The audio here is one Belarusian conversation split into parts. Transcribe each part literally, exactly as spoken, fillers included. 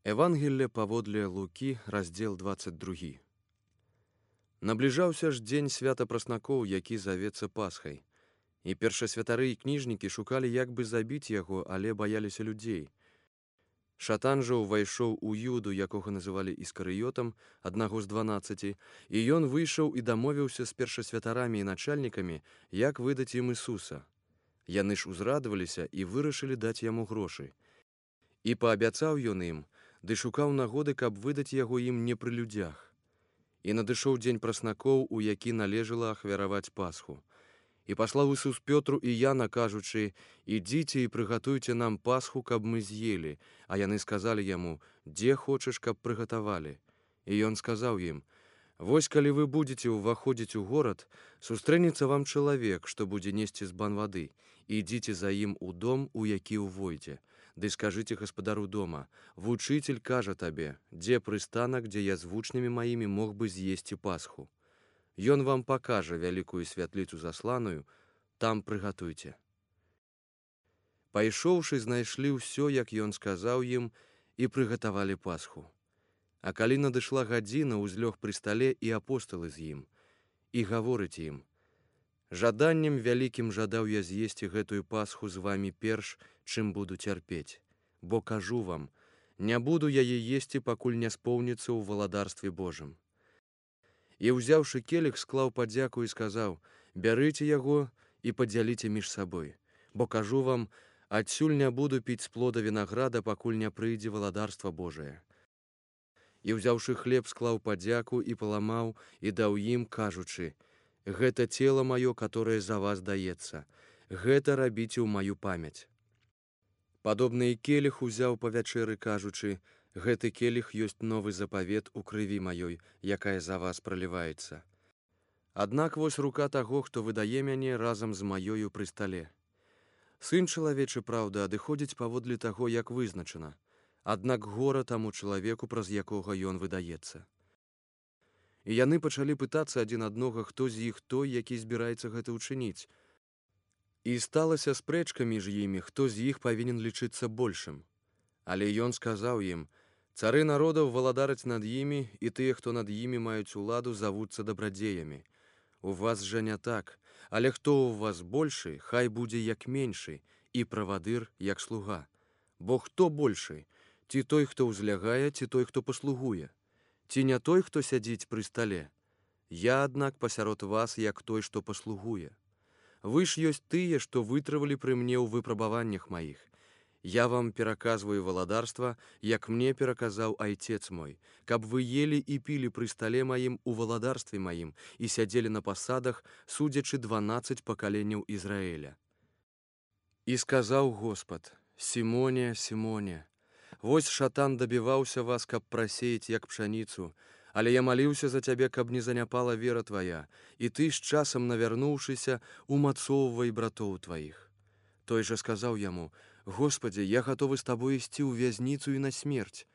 Евангелле паводле Лукі, раздзел двадцать другі. Набліжаўся ж дзень свята праснакоў, які завецца Пасхай. І першасвятары і кніжнікі шукалі, як бы забіць яго, але баяліся людзей. Шатан жа ўвайшоў у Юду, якога называлі Іскарыётам, аднаго з дванаццаці, і ён выйшаў і дамовіўся з першасвятарамі і начальнікамі, як выдаць ім Ісуса. Яны ж узрадаваліся і вырашылі даць яму грошы. І паабяцаў ён ім, ды шукаў нагоды, каб выдаць яго ім не пры людзях. І надышоў дзень праснакоў, у які належала ахвяраваць Пасху. І паслаў Ісус Пётру і Яна, кажучы: «Ідзіце і прыгатуйце нам Пасху, каб мы з'елі». А яны сказалі яму: «Дзе хочаш, каб прыгатавалі?» І ён сказаў ім: «Вось калі вы будзеце ўваходзіць у горад, сустрэнецца вам чалавек, што будзе несці збан вады. Ідзіце за ім у дом, у які ўвойдзе. Ды скажыце гаспадару дома: вучыцель кажа табе, дзе прыстанак, дзе я з вучнямі маімі мог бы з'есці Пасху. Ён вам пакажа вялікую святліцу засланую, там прыгатуйце». Пайшоўшы, знайшлі ўсё, як ён сказаў ім, і прыгатавалі Пасху. А калі надышла гадзіна, узлёг пры стале і апосталы з ім. І гаворыць ім: «Жаданнем вялікім жадаў я з'есці гэтую Пасху з вамі перш, чым буду цярпець. Бо кажу вам, не буду яе есці, пакуль не споўніцца ў валадарстве Божым». І, ўзяўшы келіх, склаў падзяку і сказаў: «Бярыце яго і падзяліце між сабой. Бо кажу вам, адсюль не буду піць з плода вінаграда, пакуль не прыйдзе валадарства Божае». І, ўзяўшы хлеб, склаў падзяку і паламаў, і даў ім, кажучы: «Гэта цела маё, которое за вас даецца. Гэта рабіце ў маю памяць». Падобны і келіх узяў па вячэры, кажучы: «Гэты келіх ёсць новы запавет у крыві маёй, якая за вас праліваецца. Аднак вось рука таго, хто выдае мяне разам з маёю пры стале. Сын чалавечы, праўда, адыходзіць паводле таго, як вызначана. Аднак гора таму чалавеку, праз якога ён выдаецца». І яны пачалі пытацца адзін аднога, хто з іх той, які збіраецца гэта ўчыніць. І сталася спрэчка між імі, хто з іх павінен лічыцца большым. Але ён сказаў ім: «Цары народаў валадараць над імі, і тыя, хто над імі маюць уладу, завуцца дабрадзеямі. У вас жа не так, але хто ў вас большы, хай будзе як меншы, і правадыр як слуга. Бо хто большы? Ці той, хто ўзлягае, ці той, хто паслугуе? Ці не той, хто сядзіць пры стале? Я, аднак, пасярод вас, як той, што паслугуе. Вы ж ёсць тыя, што вытрывалі пры мне ў выпрабаваннях маіх. Я вам пераказваю валадарства, як мне пераказаў айцец мой, каб вы ели і пілі пры стале маім у валадарстве маім і сядзелі на пасадах, судзячы дванаццаць пакаленняў Ізраіля». І сказаў Господ: «Сімоне, Сімоне, вось шатан дабіваўся вас, каб прасеяць, як пшаніцу, але я маліўся за цябе, каб не заняпала вера твая, і ты, з часам навярнуўшыся, умацоўвай братоў тваіх». Той жа сказаў яму: «Господи, я гатовы з табой ісці ў вязніцу і на смерць».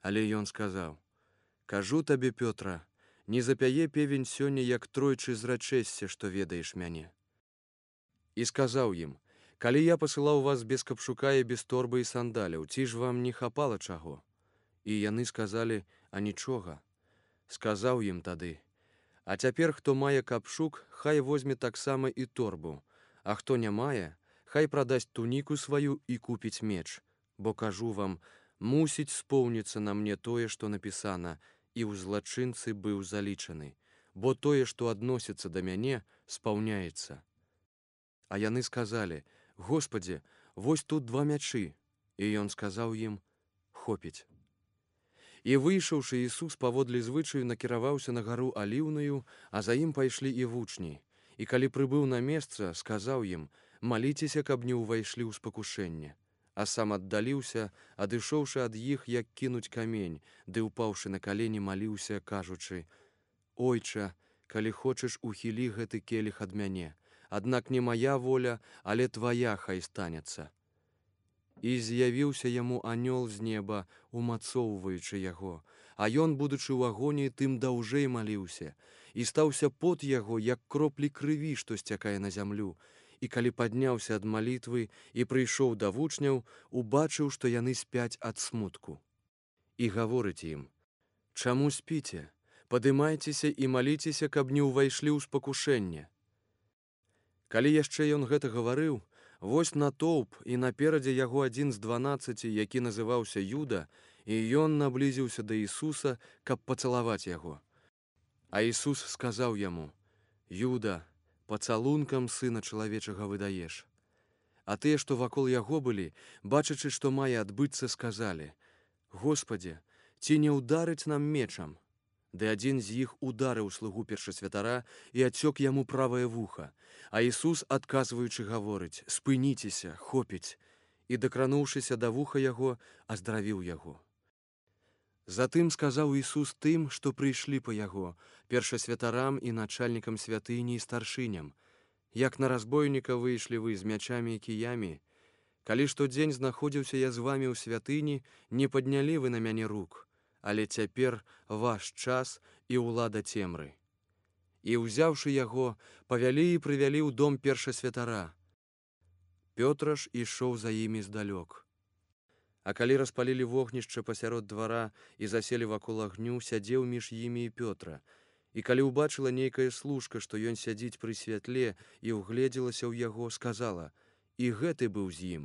Але ён сказаў: «Кажу табе, Пётра, не запяе певень сёння, як тройчы зрачэшся, што ведаеш мяне». І сказаў ім: «Калі я пасылаў вас без капшука і без торбы і сандаляў, ці ж вам не хапала чаго?» І яны сказалі: «А нічога». Сказаў ім тады: «А цяпер, хто мае капшук, хай возьме таксама і торбу, а хто не мае, хай прадасць туніку сваю і купіць меч. Бо кажу вам, мусіць споўніцца на мне тое, што напісана: і ў злачынцы быў залічаны, бо тое, што адносіцца да мяне, спаўняецца». А яны сказалі: «Господи, вось тут два мячы». І ён сказаў ім: «Хопіць». І выйшаўшы, Ісус паводле звычаю накіраваўся на гару Аліўную, а за ім пайшлі і вучні. І калі прыбыў на месца, сказаў ім: «Маліцеся, каб не ўвайшлі ў спакушэнне». А сам аддаліўся, адышоўшы ад іх, як кінуць камень, ды ўпаўшы на калені, маліўся, кажучы: «Ойча, калі хочаш, ухілі гэты келіх ад мяне, аднак не мая воля, але твая хай станецца». І з'явіўся яму анёл з неба, умацоўваючы яго, а ён, будучы ў агоніі, тым даўжэй маліўся, і стаўся пот яго, як кроплі крыві, што сцякае на зямлю. І калі падняўся ад малітвы і прыйшоў да вучняў, убачыў, што яны спяць ад смутку. і гаворыць ім: «Чаму спіце? Падымайцеся і маліцеся, каб не ўвайшлі ў спакушэнне». Калі яшчэ ён гэта гаварыў, вось натоўп і наперадзе яго адзін з дванаццаці, які называўся Юда, і ён наблізіўся да Ісуса, каб пацалаваць яго. А Ісус сказаў яму: «Юда, пацалункам Сына чалавечага выдаеш». А тыя, што вакол яго былі, бачачы, што мае адбыцца, сказалі: «Господзе, ці не ўдарыць нам мечам?» Ды адзін з іх ударыў слугу першасвятара і адсёк яму правае вуха. А Ісус, адказваючы, гаворыць: «Спыніцеся, хопіць», і, дакрануўшыся да вуха яго, аздравіў яго. Затым сказаў Ісус тым, што прыйшлі па яго, першасвятарам і начальнікам святыні і старшыням: «Як на разбойніка выйшлі вы з мячамі і кіямі? Калі штодзень знаходзіўся я з вамі ў святыні, не паднялі вы на мяне рук. Але цяпер ваш час і ўлада цемры». І, ўзяўшы яго, павялі і прывялі ў дом першасвятара. Пётр ж ішоў за імі здалёк. А калі распалілі вогнішча пасярод двара і заселі вакол агню, сядзеў між імі і Пётра. І калі ўбачыла нейкая служка, што ён сядзіць пры святле, і ўгледзелася ў яго, сказала: «І гэты быў з ім».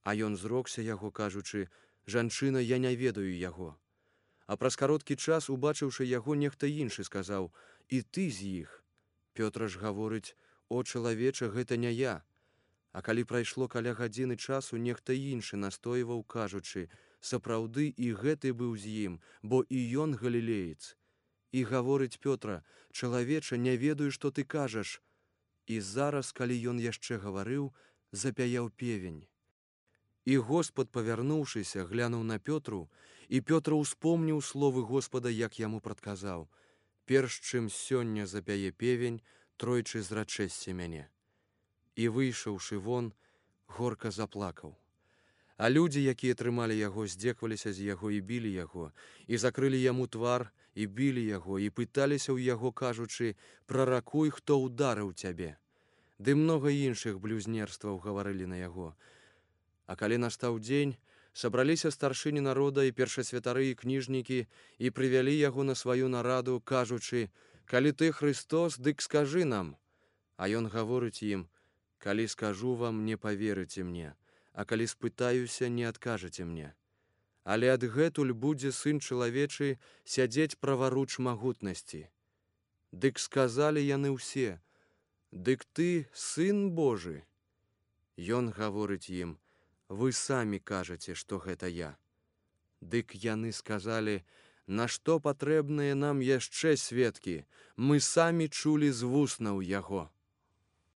А ён зрокся яго, кажучы: «Жанчына, я не ведаю яго». А праз кароткі час, убачыўшы яго, нехта іншы сказаў: «І ты з іх». Пётр ж гаворыць: «О, чалавеча, гэта не я». А калі прайшло каля гадзіны часу, нехта іншы настойваў, кажучы: «Сапраўды і гэты быў з ім, бо і ён галілеец». І гаворыць Пётра: «Чалавеча, не ведаю, што ты кажаш». І зараз, калі ён яшчэ гаварыў, запяяў певень. І Господ, павярнуўшыся, глянуў на Пётру, і Пётр успомніў словы Господа, як яму прадказаў: «Перш чым сёння запяе певень, тройчы зрачэсся мяне». І, выйшаўшы вон, горка заплакаў. А людзі, якія трымалі яго, здзекваліся з яго і білі яго, і закрылі яму твар, і білі яго, і пыталіся ў яго, кажучы: «Праракуй, хто ўдарыў цябе». Ды многа іншых блюзнерстваў гаварылі на яго. А калі настаў дзень, сабраліся старшыні народа і першасвятары і кніжнікі і прывялі яго на сваю нараду, кажучы: «Калі ты Христос, дык скажы нам». А ён гаворыць ім: «Калі скажу вам, не паверыце мне, а калі спытаюся, не адкажаце мне. Але адгэтуль будзе Сын чалавечы сядзець праваруч магутнасці». Дык сказалі яны ўсе: «Дык ты Сын Божы?» Ён гаворыць ім: «Вы самі кажаце, што гэта я». Дык яны сказалі: «Нашто патрэбныя нам яшчэ сведкі? Мы самі чулі з вуснаў яго».